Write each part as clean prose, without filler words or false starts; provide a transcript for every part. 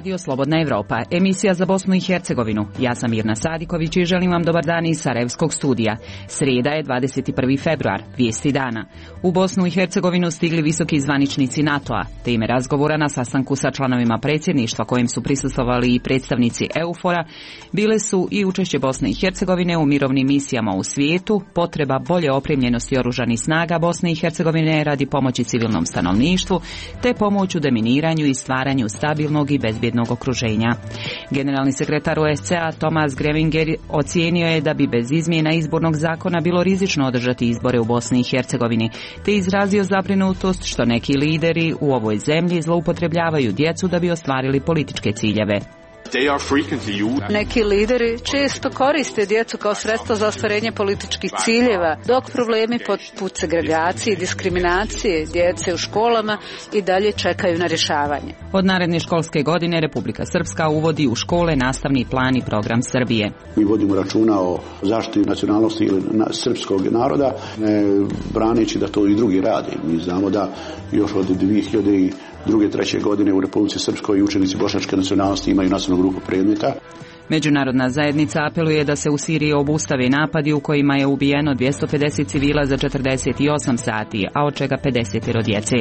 Radio Slobodna Evropa, emisija za Bosnu i Hercegovinu. Ja sam Mirna Sadiković i želim vam dobar dan iz Sarajevskog studija. Srijeda je 21. februar, vijesti dana. U Bosnu i Hercegovinu stigli visoki zvaničnici NATO-a. Teme razgovora na sastanku sa članovima predsjedništva kojim su prisustvovali i predstavnici EUFOR-a bile su i učešće Bosne i Hercegovine u mirovnim misijama u svijetu, potreba bolje opremljenosti oružanih snaga Bosne i Hercegovine radi pomoći civilnom stanovništvu, te pomoć u deminiranju i stvaranju stabilnog i bezbjednog okruženja. Generalni sekretar OSCE-a Thomas Greminger ocijenio je da bi bez izmjena izbornog zakona bilo rizično održati izbore u Bosni i Hercegovini, te izrazio zabrinutost što neki lideri u ovoj zemlji zloupotrebljavaju djecu da bi ostvarili političke ciljeve. Neki lideri često koriste djecu kao sredstvo za ostvarenje političkih ciljeva, dok problemi poput segregacije i diskriminacije djece u školama i dalje čekaju na rješavanje. Od naredne školske godine Republika Srpska uvodi u škole nastavni plan i program Srbije. Mi vodimo računa o zaštiti nacionalnosti ili srpskog naroda, ne braneći da to i drugi rade. Mi znamo da još od 2002. 3. godine u Republici Srpskoj učenici bošnjačke nacionalnosti imaju nacionalnu grupu predmeta. Međunarodna zajednica apeluje da se u Siriji obustave napadi u kojima je ubijeno 250 civila za 48 sati, a od čega 50 djece.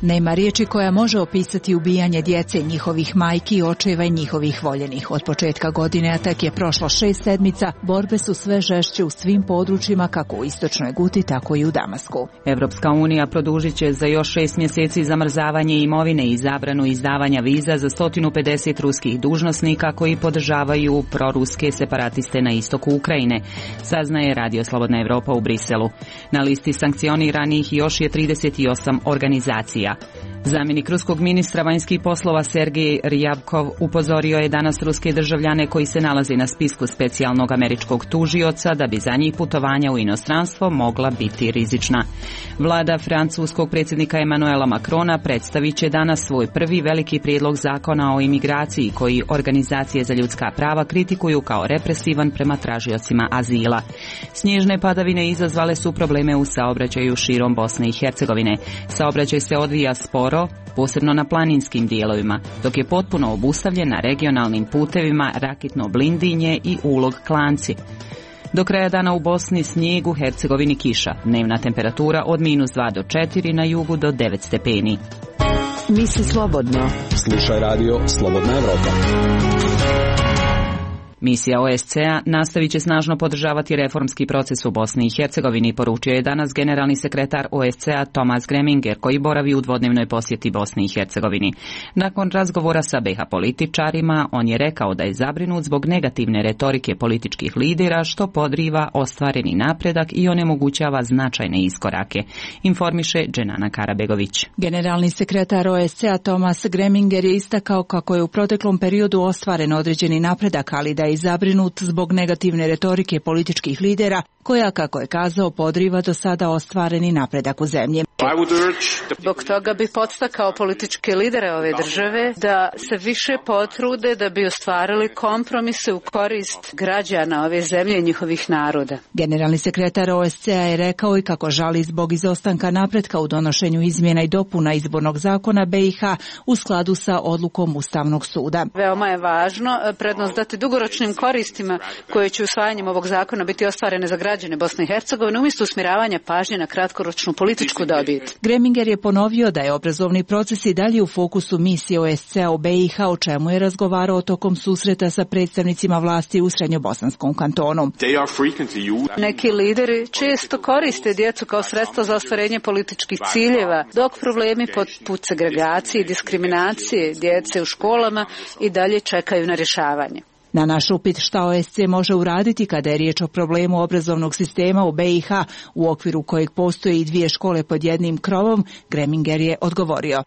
Nema riječi koja može opisati ubijanje djece, njihovih majki, očeva i njihovih voljenih. Od početka godine, a tek je prošlo 6 sedmica, borbe su sve žešće u svim područjima, kako u istočnoj Guti, tako i u Damasku. Evropska unija produžit će za još 6 mjeseci zamrzavanje imovine i zabranu izdavanja viza za 150 ruskih dužnosnika koji podržavaju proruske separatiste na istoku Ukrajine, saznaje Radio Slobodna Evropa u Briselu. Na listi sankcioniranih još je 38 organizacija. Zamjenik ruskog ministra vanjskih poslova Sergej Ryabkov upozorio je danas ruske državljane koji se nalaze na spisku specijalnog američkog tužioca da bi za njih putovanja u inostranstvo mogla biti rizična. Vlada francuskog predsjednika Emmanuela Macrona predstavit će danas svoj prvi veliki prijedlog zakona o imigraciji koji organizacije za ljudska prava kritikuju kao represivan prema tražiocima azila. Snježne padavine izazvale su probleme u saobraćaju širom Bosne i Hercegovine. Saobraćaj se odvija sporo, posebno na planinskim dijelovima, dok je potpuno obustavljen na regionalnim putevima Rakitno Blindinje i Ulog Klanci. Do kraja dana u Bosni snijeg, u Hercegovini kiša. Dnevna temperatura od -2 do 4, na jugu do 9 stepeni. Misli slobodno. Slušaj radio Slobodna Evropa. Misija OSCE-a nastavit će snažno podržavati reformski proces u Bosni i Hercegovini, poručio je danas generalni sekretar OSCE-a Thomas Greminger, koji boravi u dvodnevnoj posjeti Bosni i Hercegovini. Nakon razgovora sa BiH političarima, on je rekao da je zabrinut zbog negativne retorike političkih lidera, što podriva ostvareni napredak i onemogućava značajne iskorake, informiše Dženana Karabegović. Generalni sekretar OSCE-a Thomas Greminger je istakao kako je u proteklom periodu ostvaren određeni napredak, ali da je zabrinut zbog negativne retorike političkih lidera, koja, kako je kazao, podriva do sada ostvareni napredak u zemlji. Zbog toga bi podstakao političke lidere ove države da se više potrude da bi ostvarili kompromise u korist građana ove zemlje i njihovih naroda. Generalni sekretar OSCE-a je rekao i kako žali zbog izostanka napretka u donošenju izmjena i dopuna izbornog zakona BiH u skladu sa odlukom Ustavnog suda. Veoma je važno prednost dati dugoročnim koristima koje će usvajanjem ovog zakona biti ostvarene za građane Bosne i Hercegovine umjesto usmjeravanja pažnje na kratkoročnu političku dobit. Greminger je ponovio da je obrazovni proces i dalje u fokusu misije OSCE-a u BiH, o čemu je razgovarao tokom susreta sa predstavnicima vlasti u Srednjobosanskom kantonu. Neki lideri često koriste djecu kao sredstvo za ostvarenje političkih ciljeva, dok problemi poput segregacije i diskriminacije djece u školama i dalje čekaju na rješavanje. Na naš upit šta OSCE može uraditi kada je riječ o problemu obrazovnog sistema u BiH, u okviru kojeg postoje i 2 škole pod jednim krovom, Greminger je odgovorio.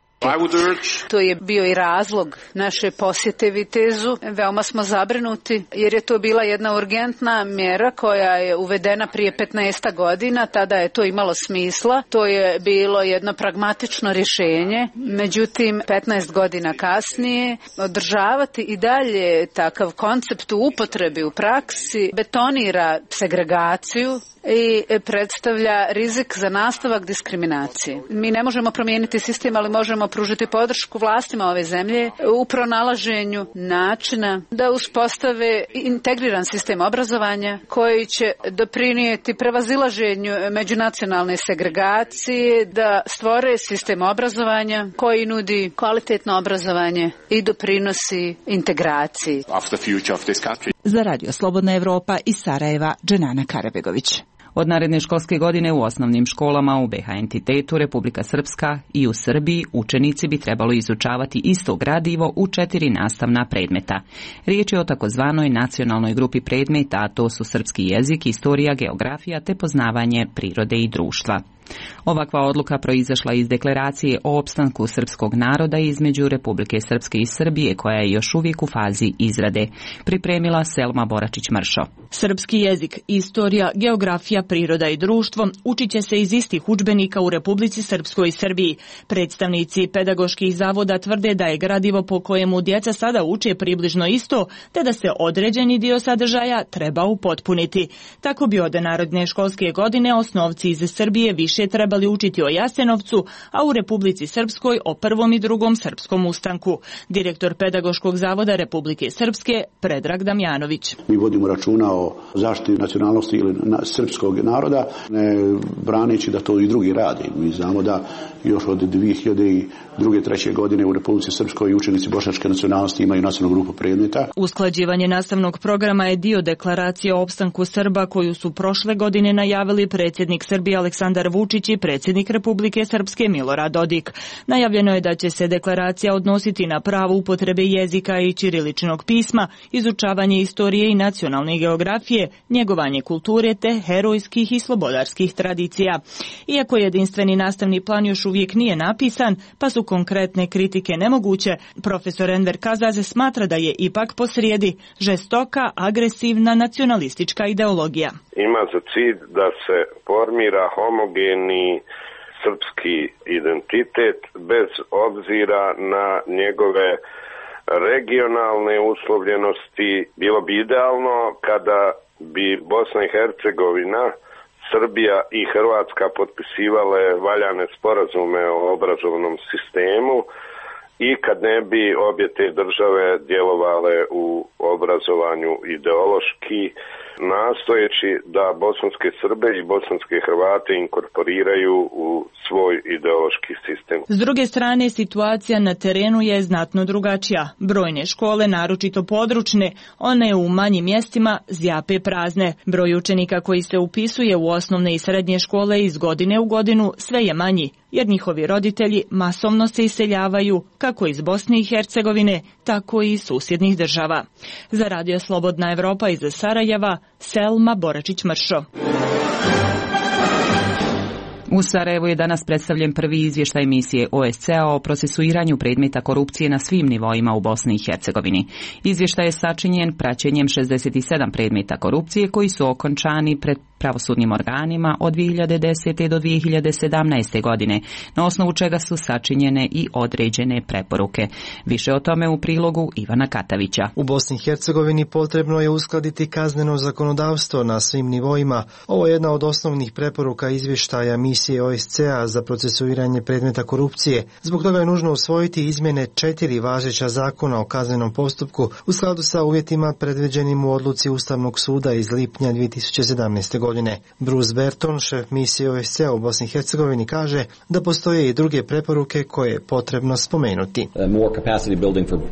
To je bio i razlog naše posjete Vitezu. Veoma smo zabrinuti jer je to bila jedna urgentna mjera koja je uvedena prije 15 godina. Tada je to imalo smisla. To je bilo jedno pragmatično rješenje. Međutim, 15 godina kasnije održavati i dalje takav koncept u upotrebi u praksi betonira segregaciju i predstavlja rizik za nastavak diskriminacije. Mi ne možemo promijeniti sistem, ali možemo pružiti podršku vlastima ove zemlje u pronalaženju načina da uspostave integriran sistem obrazovanja koji će doprinijeti prevazilaženju međunacionalne segregacije, da stvore sistem obrazovanja koji nudi kvalitetno obrazovanje i doprinosi integraciji. Za Radio Slobodna Evropa iz Sarajeva, Dženana Karabegović. Od naredne školske godine u osnovnim školama u BiH entitetu Republika Srpska i u Srbiji učenici bi trebalo izučavati isto gradivo u 4 nastavna predmeta. Riječ je o takozvanoj nacionalnoj grupi predmeta, a to su srpski jezik, istorija, geografija te poznavanje prirode i društva. Ovakva odluka proizašla iz deklaracije o opstanku srpskog naroda između Republike Srpske i Srbije, koja je još uvijek u fazi izrade. Pripremila Selma Boračić-Mršo. Srpski jezik, istorija, geografija, priroda i društvo učit će se iz istih udžbenika u Republici Srpskoj i Srbiji. Predstavnici pedagoških zavoda tvrde da je gradivo po kojemu djeca sada uče približno isto, te da se određeni dio sadržaja treba upotpuniti. Tako bi od naredne školske godine osnovci iz Srbije više trebali učiti o Jasenovcu, a u Republici Srpskoj o prvom i drugom srpskom ustanku. Direktor pedagoškog zavoda Republike Srpske, Predrag Damjanović. Mi vodimo računa o zaštiti nacionalnosti ili srpskog naroda, ne braneći da to i drugi radi. Mi znamo da još od 2002. 2003. godine u Republici Srpskoj učenici bošnjačke nacionalnosti imaju nacionalnu grupu predmeta. Usklađivanje nastavnog programa je dio deklaracije o opstanku Srba koju su prošle godine najavili predsjednik Srbije Aleksandar Vučić i predsjednik Republike Srpske Milorad Dodik. Najavljeno je da će se deklaracija odnositi na pravo upotrebe jezika i ćiriličnog pisma, izučavanje istorije i nacionalne geografije, njegovanje kulture te herojskih i slobodarskih tradicija. Iako jedinstveni nastavni plan još uvijek nije napisan, pa su konkretne kritike nemoguće, profesor Enver Kazaze smatra da je ipak posrijedi žestoka, agresivna nacionalistička ideologija. Ima za cilj da se formira homogeni srpski identitet bez obzira na njegove regionalne uslovljenosti. Bilo bi idealno kada bi Bosna i Hercegovina, Srbija i Hrvatska potpisivale valjane sporazume o obrazovnom sistemu i kad ne bi obje te države djelovale u obrazovanju ideološki, nastojeći da bosanske Srbe i bosanske Hrvate inkorporiraju u svoj ideološki sistem. S druge strane, situacija na terenu je znatno drugačija. Brojne škole, naročito područne, one u manjim mjestima zjape prazne. Broj učenika koji se upisuje u osnovne i srednje škole iz godine u godinu sve je manji, jer njihovi roditelji masovno se iseljavaju kako iz Bosne i Hercegovine, tako i iz susjednih država. Za Radio Slobodna Evropa iz Sarajeva, Selma Boračić-Mršo. U Sarajevu je danas predstavljen prvi izvještaj misije OSCE-a o procesuiranju predmeta korupcije na svim nivoima u Bosni i Hercegovini. Izvještaj je sačinjen praćenjem 67 predmeta korupcije koji su okončani pred pravosudnim organima od 2010. do 2017. godine, na osnovu čega su sačinjene i određene preporuke. Više o tome u prilogu Ivana Katavića. U Bosni i Hercegovini potrebno je uskladiti kazneno zakonodavstvo na svim nivoima. Ovo je jedna od osnovnih preporuka izvještaja misije OSCE-a za procesuiranje predmeta korupcije. Zbog toga je nužno usvojiti izmjene 4 važeća zakona o kaznenom postupku u skladu sa uvjetima predviđenim u odluci Ustavnog suda iz lipnja 2017. godine. Bruce Berton, šef misije OSCE-a u Bosni i Hercegovini, kaže da postoje i druge preporuke koje je potrebno spomenuti.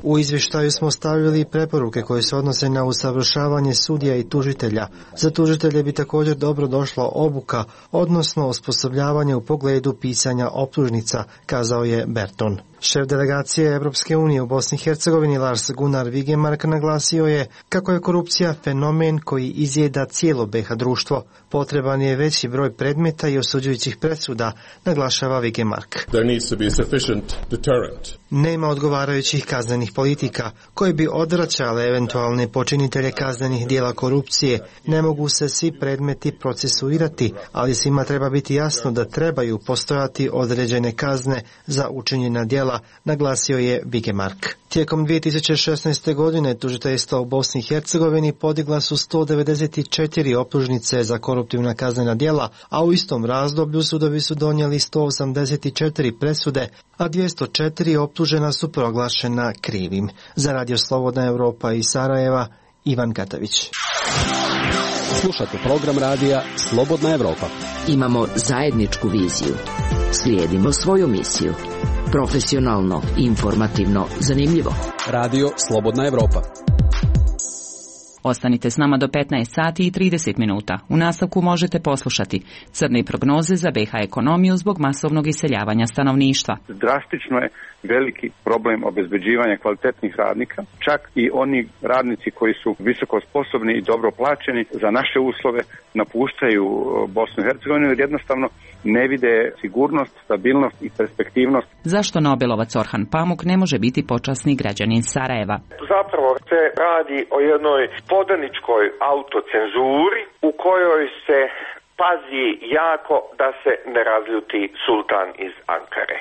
U izvještaju smo stavili preporuke koje se odnose na usavršavanje sudija i tužitelja. Za tužitelje bi također dobro došla obuka, odnosno osposobljavanje u pogledu pisanja optužnica, kazao je Berton. Šef delegacije Europske unije u Bosni i Hercegovini Lars Gunnar Vigemark naglasio je kako je korupcija fenomen koji izjeda cijelo BiH društvo. Potreban je veći broj predmeta i osuđujućih presuda, naglašava Vigemark. Nema odgovarajućih kaznenih politika koje bi odvraćale eventualne počinitelje kaznenih djela korupcije. Ne mogu se svi predmeti procesuirati, ali svima treba biti jasno da trebaju postojati određene kazne za učinjena djela, djela, naglasio je Vigemark. Tijekom 2016. godine tužiteljstva u Bosni i Hercegovini podigla su 194 optužnice za koruptivna kaznena djela, a u istom razdoblju sudovi su donijeli 184 presude, a 204 optužena su proglašena krivim. Za Radio Slobodna Europa iz Sarajeva, Ivan Katavić. Slušate program radija Slobodna Europa. Imamo zajedničku viziju. Slijedimo svoju misiju. Profesionalno, informativno, zanimljivo. Radio Slobodna Europa. Ostanite s nama do 15 sati i 30 minuta. U nastavku možete poslušati crne prognoze za BiH ekonomiju zbog masovnog iseljavanja stanovništva. Drastično je veliki problem obezbeđivanja kvalitetnih radnika, čak i oni radnici koji su visoko sposobni i dobro plaćeni za naše uslove napuštaju Bosnu i Hercegovinu jer jednostavno ne vide sigurnost, stabilnost i perspektivnost. Zašto Nobelovac Orhan Pamuk ne može biti počasni građanin Sarajeva? Zapravo se radi o jednoj podaničkoj autocenzuri u kojoj se pazi jako da se ne razljuti sultan iz Ankare.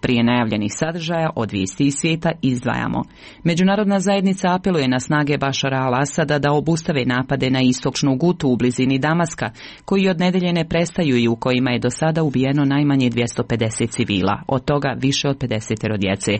Prije najavljenih sadržaja od vijesti iz svijeta izdvajamo. Međunarodna zajednica apeluje na snage Bašara al-Asada da obustave napade na istočnu Gutu u blizini Damaska, koji od nedelje ne prestaju i u kojima je do sada ubijeno najmanje 250 civila, od toga više od 50 djece.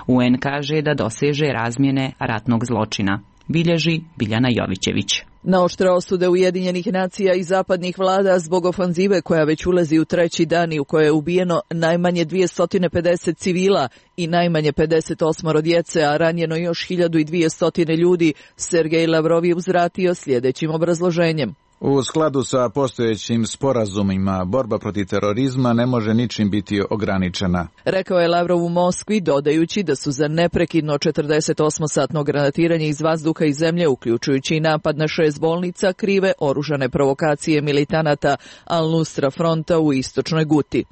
UN kaže da doseže razmjene ratnog zločina. Bilježi Biljana Jovićević. Na oštre osude Ujedinjenih nacija i zapadnih vlada zbog ofanzive koja već ulazi u treći dan i u kojoj je ubijeno najmanje 250 civila i najmanje 58 djece, a ranjeno još 1200 ljudi, Sergej Lavrov je uzvratio sljedećim obrazloženjem. U skladu sa postojećim sporazumima, borba protiv terorizma ne može ničim biti ograničena. Rekao je Lavrov u Moskvi, dodajući da su za neprekidno 48-satno granatiranje iz vazduha i zemlje, uključujući i napad na 6 bolnica, krive oružane provokacije militanata Al-Nusra fronta u istočnoj Guti.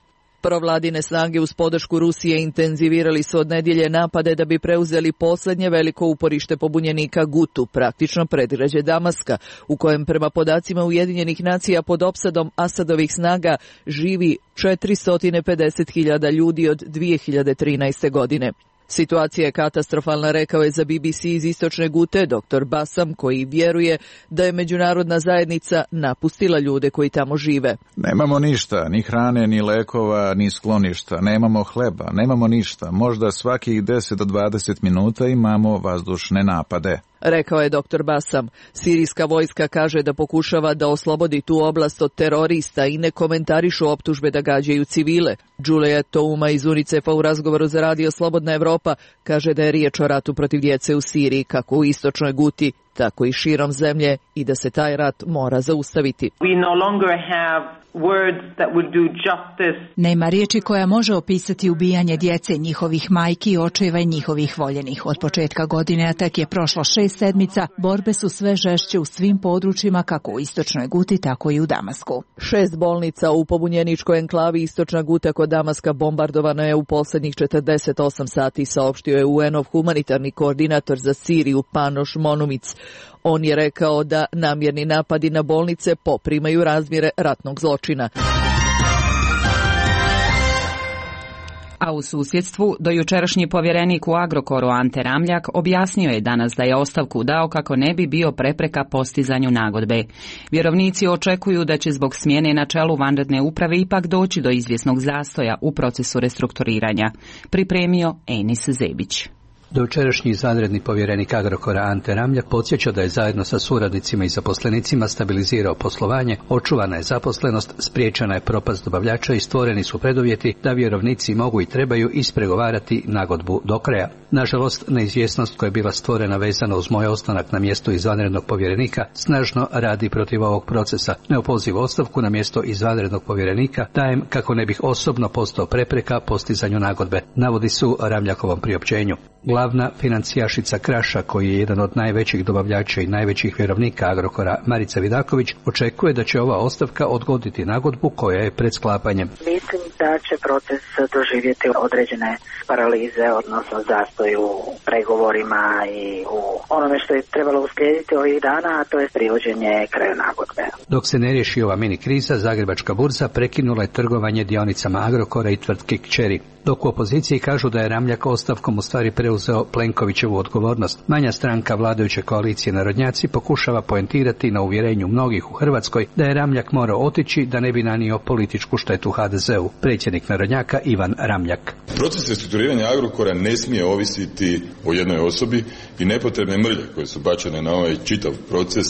Provladine snage uz podršku Rusije intenzivirali su od nedjelje napade da bi preuzeli posljednje veliko uporište pobunjenika Gutu, praktično predgrađe Damaska, u kojem prema podacima Ujedinjenih nacija pod opsadom Asadovih snaga živi 450.000 ljudi od 2013. godine. Situacija je katastrofalna, rekao je za BBC iz istočne Gute dr. Basam, koji vjeruje da je međunarodna zajednica napustila ljude koji tamo žive. Nemamo ništa, ni hrane, ni lekova, ni skloništa, nemamo hleba, nemamo ništa. Možda svakih 10 do 20 minuta imamo vazdušne napade. Rekao je dr. Basam. Sirijska vojska kaže da pokušava da oslobodi tu oblast od terorista i ne komentarišu optužbe da gađaju civile. Julia Touma iz UNICEF-a u razgovoru za Radio Slobodna Evropa kaže da je riječ o ratu protiv djece u Siriji, kako u istočnoj Guti, tako i širom zemlje, i da se taj rat mora zaustaviti. Nema riječi koja može opisati ubijanje djece, njihovih majki, očeva i njihovih voljenih. Od početka godine, a tek je prošlo 6 sedmica, borbe su sve žešće u svim područjima, kako u istočnoj Guti, tako i u Damasku. 6 bolnica u pobunjeničkoj enklavi istočna Guta kod Damaska bombardovano je u posljednjih 48 sati, saopštio je UN-ov humanitarni koordinator za Siriju Panoš Monumic. On je rekao da namjerni napadi na bolnice poprimaju razmjere ratnog zločina. A u susjedstvu, dojučerašnji povjerenik u Agrokoru Ante Ramljak objasnio je danas da je ostavku dao kako ne bi bio prepreka postizanju nagodbe. Vjerovnici očekuju da će zbog smjene na čelu vanredne uprave ipak doći do izvjesnog zastoja u procesu restrukturiranja. Pripremio Enis Zebić. Dojučerašnji izvanredni povjerenik Agrokora Ante Ramljak podsjeća da je zajedno sa suradnicima i zaposlenicima stabilizirao poslovanje, očuvana je zaposlenost, spriječena je propast dobavljača i stvoreni su preduvjeti da vjerovnici mogu i trebaju ispregovarati nagodbu do kraja. Nažalost, neizvjesnost koja je bila stvorena vezano uz moj ostanak na mjestu izvanrednog povjerenika snažno radi protiv ovog procesa. Neopozivu ostavku na mjesto izvanrednog povjerenika dajem kako ne bih osobno postao prepreka postizanju nagodbe, navodi su Ramljakovom priopćenju. Glavna financijašica Kraša, koji je jedan od najvećih dobavljača i najvećih vjerovnika Agrokora, Marica Vidaković, očekuje da će ova ostavka odgoditi nagodbu koja je pred sklapanjem. Mislim da će proces doživjeti određene paralize, odnosno zastoj u pregovorima i u onome što je trebalo uslijediti ovih dana, a to je privođenje kraju nagodbe. Dok se ne riješi ova mini kriza, Zagrebačka burza prekinula je trgovanje dionicama Agrokora i tvrtke kćeri. Dok u opoziciji kažu da je Ramljak ostavkom u stvari preuzeo Plenkovićevu odgovornost, manja stranka vladajuće koalicije Narodnjaci pokušava poentirati na uvjerenju mnogih u Hrvatskoj da je Ramljak morao otići da ne bi nanio političku štetu HDZ-u. Predsjednik Narodnjaka Ivan Ramljak. Proces restrukturiranja Agrokora ne smije ovisiti o jednoj osobi i nepotrebne mrlje koje su bačene na ovaj čitav proces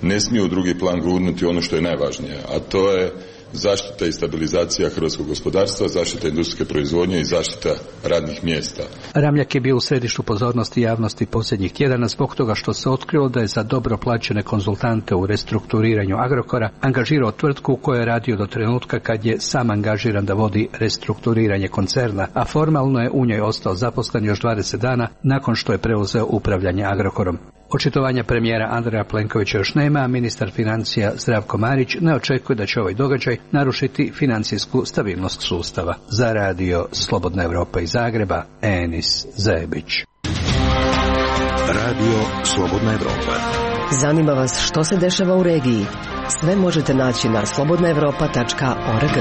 ne smiju u drugi plan gurnuti ono što je najvažnije, a to je zaštita i stabilizacija hrvatskog gospodarstva, zaštita industrijske proizvodnje i zaštita radnih mjesta. Ramljak je bio u središtu pozornosti javnosti posljednjih tjedana zbog toga što se otkrilo da je za dobro plaćene konzultante u restrukturiranju Agrokora angažirao tvrtku u kojoj je radio do trenutka kad je sam angažiran da vodi restrukturiranje koncerna, a formalno je u njoj ostao zaposlen još 20 dana nakon što je preuzeo upravljanje Agrokorom. Očitovanja premijera Andreja Plenkovića još nema, a ministar financija Zdravko Marić ne očekuje da će ovaj događaj narušiti financijsku stabilnost sustava. Za radio Slobodna Evropa iz Zagreba, Enis Zebić. Radio Slobodna Evropa. Zanima vas što se dešava u regiji? Sve možete naći na slobodnaevropa.org.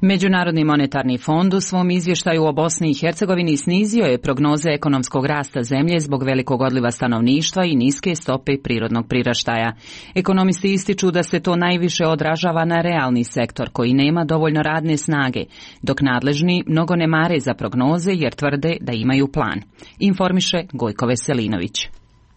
Međunarodni monetarni fond u svom izvještaju o Bosni i Hercegovini snizio je prognoze ekonomskog rasta zemlje zbog velikog odliva stanovništva i niske stope prirodnog priraštaja. Ekonomisti ističu da se to najviše odražava na realni sektor koji nema dovoljno radne snage, dok nadležni mnogo ne mare za prognoze jer tvrde da imaju plan. Informiše Gojko Veselinović.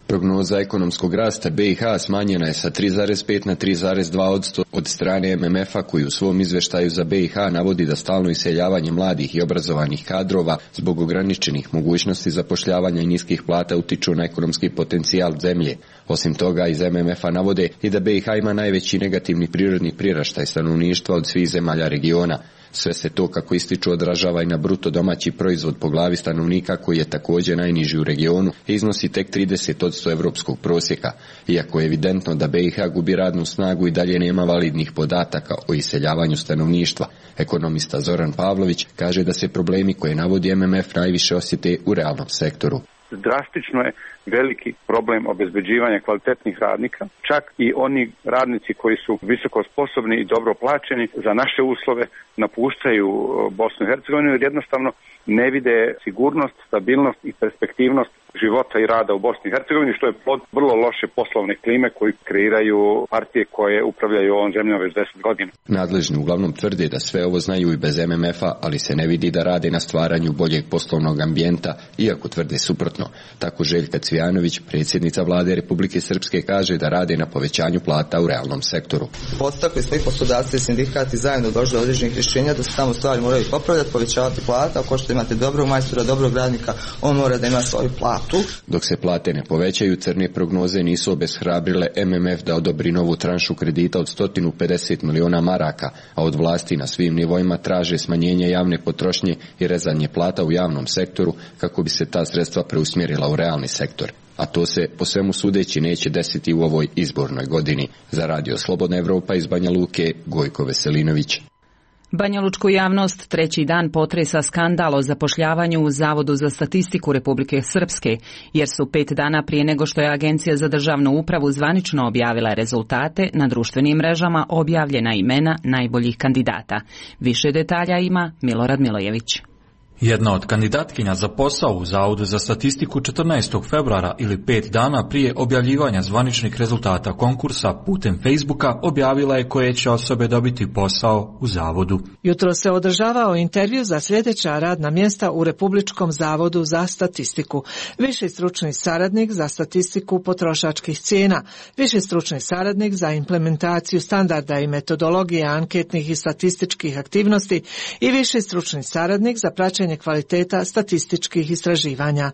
Prognoza ekonomskog rasta BiH smanjena je sa 3,5 na 3,2% od strane MMF-a koji u svom izvještaju za BiH navodi da stalno iseljavanje mladih i obrazovanih kadrova zbog ograničenih mogućnosti zapošljavanja i niskih plata utiču na ekonomski potencijal zemlje. Osim toga, iz MMF-a navode i da BiH ima najveći negativni prirodni priraštaj stanovništva od svih zemalja regiona. Sve se to, kako ističu, odražava i na bruto domaći proizvod po glavi stanovnika koji je također najniži u regionu i iznosi tek 30% evropskog prosjeka. Iako je evidentno da BiH gubi radnu snagu i dalje nema validnih podataka o iseljavanju stanovništva. Ekonomista Zoran Pavlović kaže da se problemi koje navodi MMF najviše osjete u realnom sektoru. Drastično je veliki problem obezbeđivanja kvalitetnih radnika, čak i oni radnici koji su visoko sposobni i dobro plaćeni za naše uslove napuštaju Bosnu i Hercegovinu jer jednostavno ne vide sigurnost, stabilnost i perspektivnost života i rada u Bosni i Hercegovini, što je plod vrlo loše poslovne klime koji kreiraju partije koje upravljaju ovom zemljom već 10 godina. Nadležni uglavnom tvrde da sve ovo znaju i bez MMF-a, ali se ne vidi da rade na stvaranju boljeg poslovnog ambijenta, iako tvrde suprotno. Tako Željka Cvijanović, predsjednica vlade Republike Srpske, kaže da rade na povećanju plata u realnom sektoru. Podstakli smo i poslodavci i sindikati zajedno došli do određenih rješenja da se tamo stvari moraju popravljati, povećavati plata. Ako što imate dobrog majstora, dobrog radnika, on mora da ima svoju platu. Dok se plate ne povećaju, crne prognoze nisu obeshrabrile MMF da odobri novu tranšu kredita od 150 miliona maraka, a od vlasti na svim nivoima traže smanjenje javne potrošnje i rezanje plata u javnom sektoru kako bi se ta sredstva preusmjerila u realni sektor. A to se, po svemu sudeći, neće desiti u ovoj izbornoj godini. Za radio Slobodna Evropa iz Banja Luke, Gojko Veselinović. Banjalučku javnost treći dan potresa skandal o zapošljavanju u Zavodu za statistiku Republike Srpske, jer su 5 dana prije nego što je Agencija za državnu upravu zvanično objavila rezultate, na društvenim mrežama objavljena imena najboljih kandidata. Više detalja ima Milorad Milojević. Jedna od kandidatkinja za posao u Zavodu za statistiku 14. februara ili 5 dana prije objavljivanja zvaničnih rezultata konkursa putem Facebooka objavila je koje će osobe dobiti posao u Zavodu. Jutro se održavao intervju za sljedeća radna mjesta u Republičkom zavodu za statistiku. Viši stručni saradnik za statistiku potrošačkih cijena, viši stručni saradnik za implementaciju standarda i metodologije anketnih i statističkih aktivnosti i viši stručni saradnik za praćenje kvaliteta statističkih istraživanja.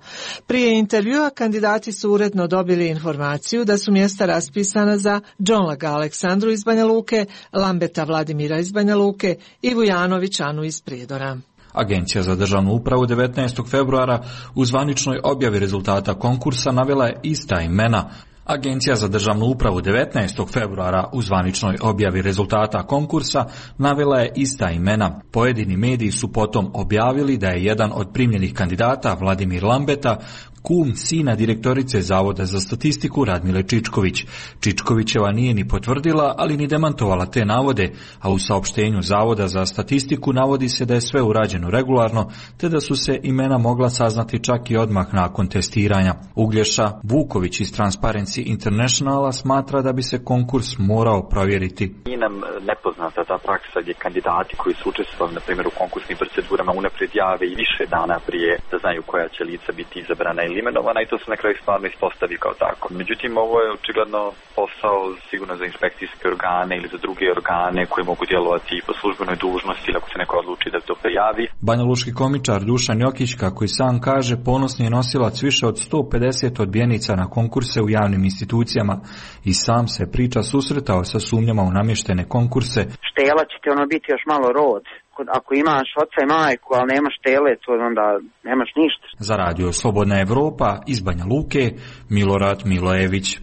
Prije intervjua kandidati su uredno dobili informaciju da su mjesta raspisana za Džonlaga Aleksandru iz Banja Luke, Lambeta Vladimira iz Banja Luke i Vujanović Anu iz Prijedora. Agencija za državnu upravu 19. februara u zvaničnoj objavi rezultata konkursa navela je ista imena. Agencija za državnu upravu 19. februara u zvaničnoj objavi rezultata konkursa navela je ista imena. Pojedini mediji su potom objavili da je jedan od primljenih kandidata, Vladimir Lambeta, kum sina direktorice Zavoda za statistiku Radmile Čičković. Čičkovićeva nije ni potvrdila, ali ni demantovala te navode, a u saopštenju Zavoda za statistiku navodi se da je sve urađeno regularno, te da su se imena mogla saznati čak i odmah nakon testiranja. Uglješa Vuković iz Transparency Internationala smatra da bi se konkurs morao provjeriti. Nije nam nepoznata ta praksa gdje kandidati koji su učestvovali, na primjer, u konkursnim procedurama unaprijed jave i više dana prije da znaju koja će lica biti izabrana ili imenovana i to se na kraju stvarno ispostavi kao tako. Međutim, ovo je očigledno posao sigurno za inspekcijske organe ili za druge organe koji mogu djelovati po službenoj dužnosti ili ako se neko odluči da to prijavi. Banjalučki komičar Dušan Jokić, kako i sam kaže, ponosni je nosilac više od 150 odbijenica na konkurse u javnim institucijama i sam se priča susretao sa sumnjama u namještene konkurse. Štela će ti biti još malo rod. Ako imaš oca i majku, ali nemaš tele, to onda nemaš ništa. Za radio Slobodna Evropa iz Banja Luke, Milorad Milojević.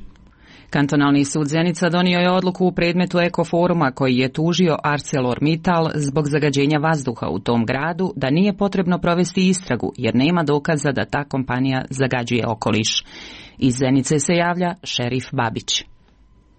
Kantonalni sud Zenica donio je odluku u predmetu Ekoforuma koji je tužio ArcelorMittal zbog zagađenja vazduha u tom gradu da nije potrebno provesti istragu jer nema dokaza da ta kompanija zagađuje okoliš. Iz Zenice se javlja šerif Babić.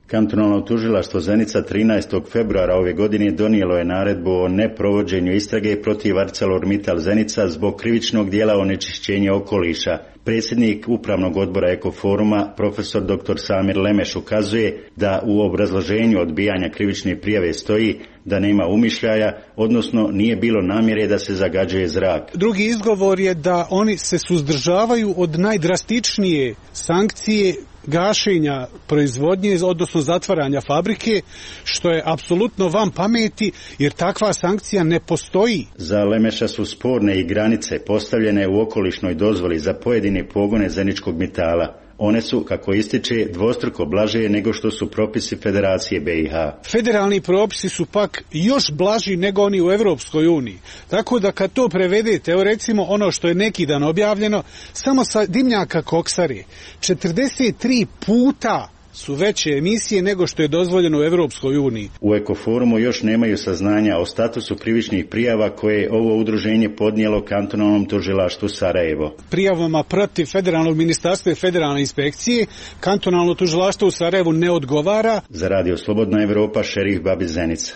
Kantonalno tužilaštvo Zenica 13. februara ove godine donijelo je naredbu o neprovođenju istrage protiv ArcelorMittal Zenica zbog krivičnog dijela onečišćenja okoliša. Predsjednik Upravnog odbora Ekoforuma, profesor dr. Samir Lemeš, ukazuje da u obrazloženju odbijanja krivične prijave stoji da nema umišljaja, odnosno nije bilo namjere da se zagađuje zrak. Drugi izgovor je da oni se suzdržavaju od najdrastičnije sankcije gašenja proizvodnje, odnosno zatvaranja fabrike, što je apsolutno van pameti, jer takva sankcija ne postoji. Za Lemeša su sporne i granice postavljene u okolišnoj dozvoli za pojedine pogone Zeničkog Mitala. One su, kako ističe, dvostruko blaže nego što su propisi Federacije BiH. Federalni propisi su pak još blaži nego oni u Europskoj uniji. Tako da kad to prevedete, evo recimo ono što je neki dan objavljeno, samo sa dimnjaka koksare, 43 puta su veće emisije nego što je dozvoljeno u Europskoj uniji. U Ekoforumu još nemaju saznanja o statusu krivičnih prijava koje je ovo udruženje podnijelo kantonalnom tužilaštvu Sarajevo. Prijavama protiv federalnog ministarstva i federalne inspekcije kantonalno tužilaštvo u Sarajevu ne odgovara. Za radio Slobodna Evropa, šerif Babić, Zenica.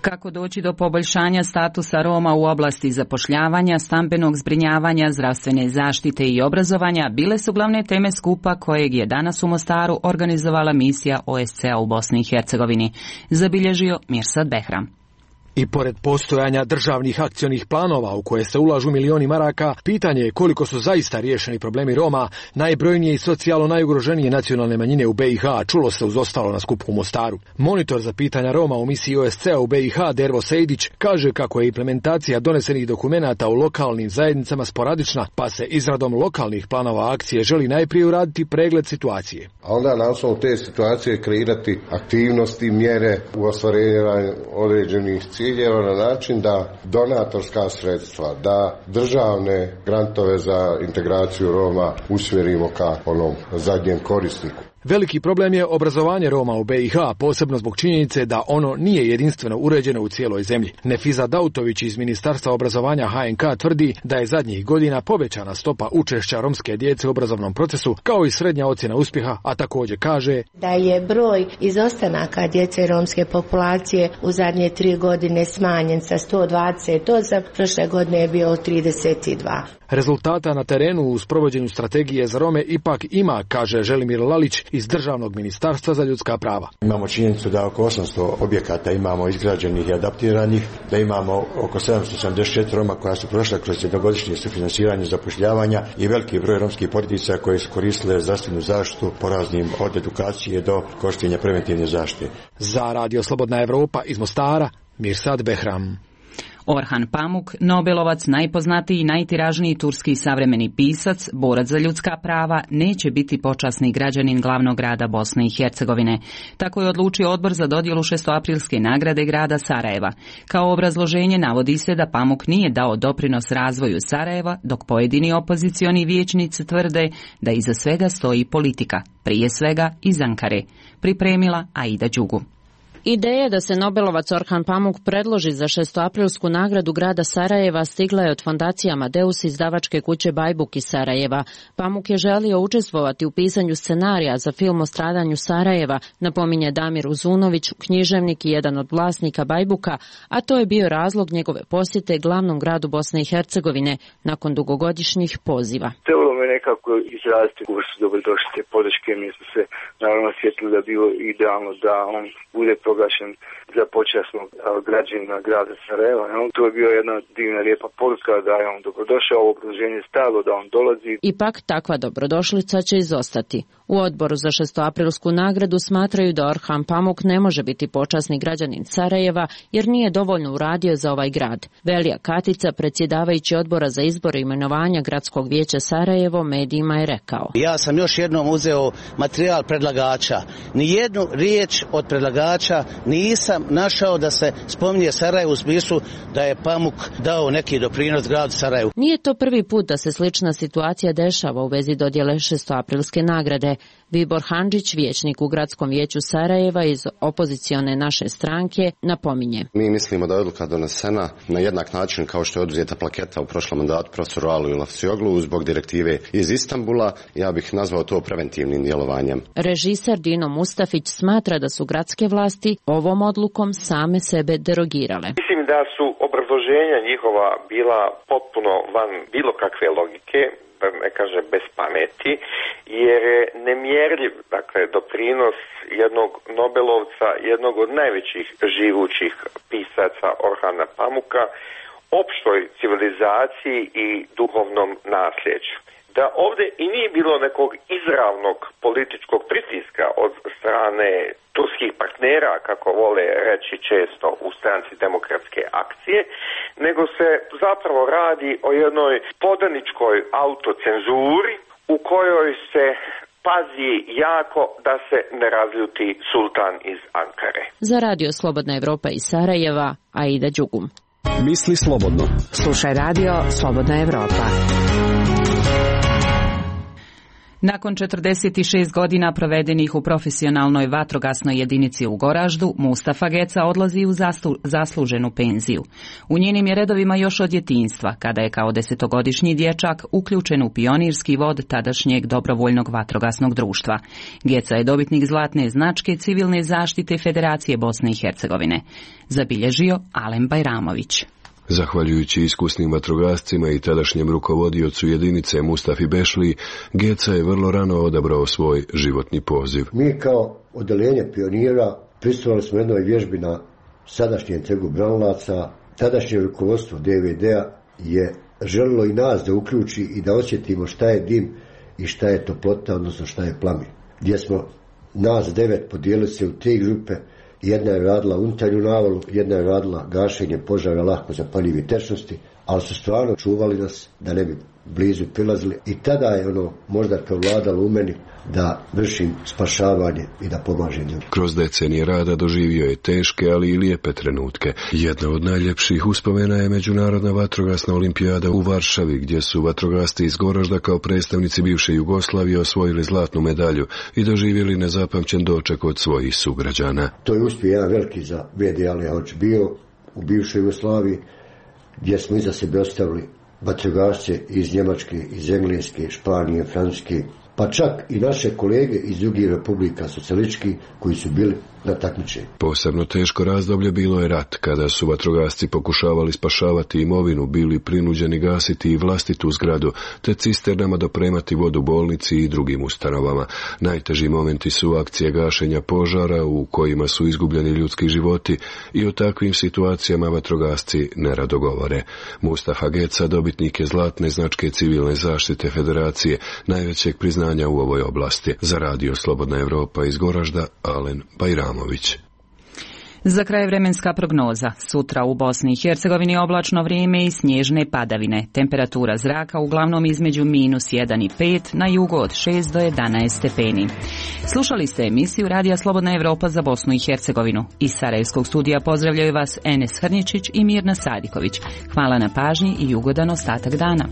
Kako doći do poboljšanja statusa Roma u oblasti zapošljavanja, stambenog zbrinjavanja, zdravstvene zaštite i obrazovanja bile su glavne teme skupa kojeg je danas u Mostaru organizovala misija OSCE-a u Bosni i Hercegovini, zabilježio Mirsad Behram. I pored postojanja državnih akcionih planova u koje se ulažu milioni maraka, pitanje je koliko su zaista riješeni problemi Roma, najbrojnije i socijalno najugroženije nacionalne manjine u BiH, čulo se uz ostalo na skupu u Mostaru. Monitor za pitanja Roma u misiji OSCE-a u BiH, Dervo Sejdić, kaže kako je implementacija donesenih dokumenata u lokalnim zajednicama sporadična, pa se izradom lokalnih planova akcije želi najprije uraditi pregled situacije. A onda na osnovu te situacije kreirati aktivnosti, mjere u ostvarenju određenih ciljeva na način da donatorska sredstva, da državne grantove za integraciju Roma usmjerimo ka onom zadnjem korisniku. Veliki problem je obrazovanje Roma u BiH, posebno zbog činjenice da ono nije jedinstveno uređeno u cijeloj zemlji. Nefiza Dautović iz Ministarstva obrazovanja HNK tvrdi da je zadnjih godina povećana stopa učešća romske djece u obrazovnom procesu, kao i srednja ocjena uspjeha, a također kaže da je broj izostanaka djece romske populacije u zadnje 3 godine smanjen sa 128, prošle godine je bio 32. Rezultata na terenu u sprovođenju strategije za Rome ipak ima, kaže Želimir Lalić iz Državnog ministarstva za ljudska prava. Imamo činjenicu da oko 800 objekata imamo izgrađenih i adaptiranih, da imamo oko 774 Roma koja su prošla kroz jednogodišnje sufinansiranje zapošljavanja i veliki broj romskih porodica koje su koristile zdravstvenu zaštitu po raznim od edukacije do korištenja preventivne zaštite. Za radio Slobodna Evropa iz Mostara, Mirsad Behram. Orhan Pamuk, Nobelovac, najpoznatiji i najtiražniji turski savremeni pisac, borac za ljudska prava, neće biti počasni građanin glavnog grada Bosne i Hercegovine. Tako je odlučio odbor za dodjelu 6. nagrade grada Sarajeva. Kao obrazloženje navodi se da Pamuk nije dao doprinos razvoju Sarajeva, dok pojedini opozicioni vijećnici tvrde da iza svega stoji politika, prije svega iz Ankare. Pripremila Aida Đugu. Ideja da se Nobelovac Orhan Pamuk predloži za 6. nagradu grada Sarajeva stigla je od fondacije Amadeus izdavačke kuće Bajbuk iz Sarajeva. Pamuk je želio učestvovati u pisanju scenarija za film o stradanju Sarajeva, napominje Damir Uzunović, književnik i jedan od vlasnika Bajbuka, a to je bio razlog njegove posjete glavnom gradu Bosne i Hercegovine nakon dugogodišnjih poziva. Trebalo me nekako izraziti koji su dobrodošli te podrške, mi smo se naravno sjetili da bilo idealno da on bude proglašen za počasnog građanina grada Sarajeva. To je bio jedna divna lijepa poruka da je on dobrodošao, ovo okruženje stajalo da on dolazi. Ipak takva dobrodošlica će izostati. U odboru za 6. nagradu smatraju da Orhan Pamuk ne može biti počasni građanin Sarajeva jer nije dovoljno uradio za ovaj grad. Velija Katica, predsjedavajući odbora za izbor i imenovanja gradskog vijeća Sarajevo, medijima je rekao: Ja sam još jednom uzeo materijal predlagača. Nijednu riječ od predlagača nisam našao da se spominje Sarajevo u smislu da je Pamuk dao neki doprinos gradu Sarajevu. Nije to prvi put da se slična situacija dešava u vezi dodjele 6. nagrade. Vibor Handžić, vijećnik u gradskom vijeću Sarajeva iz opozicione naše stranke, napominje: Mi mislimo da je odluka donesena na jednak način kao što je oduzeta plaketa u prošlom mandatu profesoru Aliju Lafsioglu zbog direktive iz Istanbula. Ja bih nazvao to preventivnim djelovanjem. Režiser Dino Mustafić smatra da su gradske vlasti ovom odlukom same sebe derogirale. Mislim da su obrazloženja njihova bila potpuno van bilo kakve logike, da ne kaže bez pameti, jer je nemjerljiv, dakle, doprinos jednog Nobelovca, jednog od najvećih živućih pisaca Orhana Pamuka, opštoj civilizaciji i duhovnom nasljeđu. Da ovdje i nije bilo nekog izravnog političkog pritiska od strane turskih partnera, kako vole reći često u stranci Demokratske akcije, nego se zapravo radi o jednoj podaničkoj autocenzuri u kojoj se pazi jako da se ne razljuti sultan iz Ankare. Za Radio Slobodna Evropa iz Sarajeva, Aida Đugum. Misli slobodno. Slušaj Radio Slobodna Evropa. Nakon 46 godina provedenih u profesionalnoj vatrogasnoj jedinici u Goraždu, Mustafa Geca odlazi u zasluženu penziju. U njenim je redovima još od djetinjstva, kada je kao 10-godišnji dječak uključen u pionirski vod tadašnjeg dobrovoljnog vatrogasnog društva. Geca je dobitnik zlatne značke civilne zaštite Federacije Bosne i Hercegovine. Zabilježio Alen Bajramović. Zahvaljujući iskusnim vatrogascima i tadašnjem rukovodiocu jedinice Mustafi Bešli, Geca je vrlo rano odabrao svoj životni poziv. Mi kao odeljenje pionira prisustvovali smo jednoj vježbi na sadašnjem trgu Branilaca. Tadašnje rukovodstvo DVD-a je želilo i nas da uključi i da osjetimo šta je dim i šta je toplota, odnosno šta je plamen. Gdje smo nas 9 podijelili se u 3 grupe. Jedna je radila unutarnju navalu, jedna je radila gašenje požara lako zapaljivih tečnosti, ali su stvarno čuvali nas da ne bi blizu prilazili i tada je možda prevladalo u meni da vršim spašavanje i da pomažem ljudima. Kroz decenije rada doživio je teške, ali i lijepe trenutke. Jedna od najljepših uspomena je Međunarodna vatrogasna olimpijada u Varšavi, gdje su vatrogasci iz Goražda kao predstavnici bivše Jugoslavije osvojili zlatnu medalju i doživjeli nezapamćen doček od svojih sugrađana. To je uspio jedan veliki za VD Alihoć bio u bivšoj Jugoslaviji, gdje smo iza sebe ostavili vatrogasce iz Njemačke, iz Engleske, Španije, Francuske, pa čak i naše kolege iz drugih republika socijalističkih koji su bili na takmičenju. Posebno teško razdoblje bilo je rat, kada su vatrogasci pokušavali spašavati imovinu, bili prinuđeni gasiti i vlastitu zgradu, te cisternama dopremati vodu bolnici i drugim ustanovama. Najteži momenti su akcije gašenja požara u kojima su izgubljeni ljudski životi i o takvim situacijama vatrogasci nerado govore. Mustafa Geca dobitnik je zlatne značke civilne zaštite Federacije, najvećeg priznanja u ovoj oblasti. Za Radio Slobodna Evropa iz Goražda, Alen Bajramović. Za kraj vremenska prognoza. Sutra u Bosni i Hercegovini oblačno vrijeme i snježne padavine. Temperatura zraka uglavnom između -1 i 5, na jugu od 6 do 11 stepeni. Slušali ste emisiju Radija Slobodna Evropa za Bosnu i Hercegovinu. Iz Sarajevskog studija pozdravljaju vas Enes Hrničić i Mirna Sadiković. Hvala na pažnji i ugodan ostatak dana.